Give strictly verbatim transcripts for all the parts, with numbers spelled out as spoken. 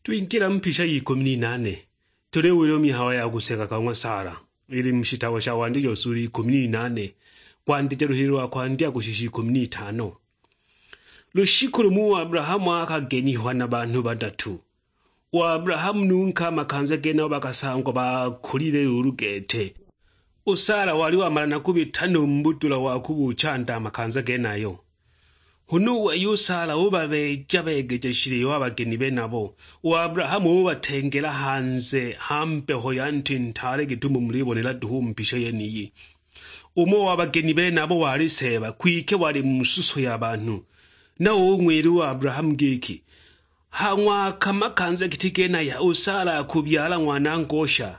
Twingila mu mpisha y'ikumi n'inane, tuliwila mihayo ya kuseka ka ng'wa Sara, ili mu shitabo sha Wandijo sura ikumi n'inane, kwandija luhili lwa kwandya kushisha ikumi n'itano. Lushiku lumo u Abrahamu akagenihwa na banhu badatu. U Abrahamu nu nke a makanza genabo bakasangwa bakulile lulu gete. U Sara wali wamala na kubita no mu budula wa kubuchanda a makanza genayo. Huna u wei u Sara ubabeeja-beegeja shiliwa a bageni benabo. U Abrahamu ubatengela hanze ha mbeho ya nti ntaale gitumo mulibonela duhu u mu mpisha yeniyi. Umo wa bageni benabo wali Seeba, kwike wali mu suso ya banhu. Na ung'wila u Abrahamu giki, "Ha ng'waka makanza giti genaya u Sara akubyala ng'wana-ngosha."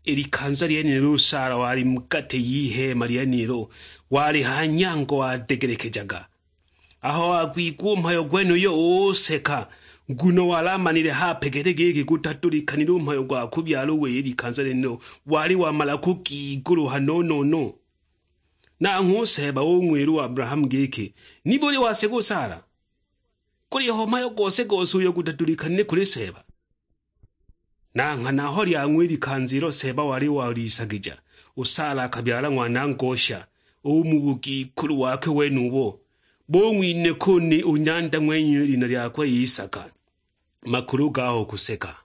I likanza lyenilo u Sara wali mu gati y'iheema lyenilo, wali ha nyango wadegelekejaga. Aho wagwigwa u mhayo gwenuyo useka, nguno wali amanile hape gete giki gutadulikanile u mhayo gwa kubyala u wei i likanza lyenilo, wali wamala kugiguluha no-no-no. Nanghwe u Seeba ung'wila u Abrahamu giki, "Nibuli waseka u Sara? Guliho mhayo gose-gose uyo gutadulikanile kuli Seeba?" Na nghana aho lyang'wa i likanza ilo Seeba wali walisagija, u Sara akabyala ng'wana-ngosha, u mu bugikulu wakwe wenubo. Bung'winhika u ni u nyanda ng'wenuyo i lina lyakwe Isaka. Makulu gaho kuseka.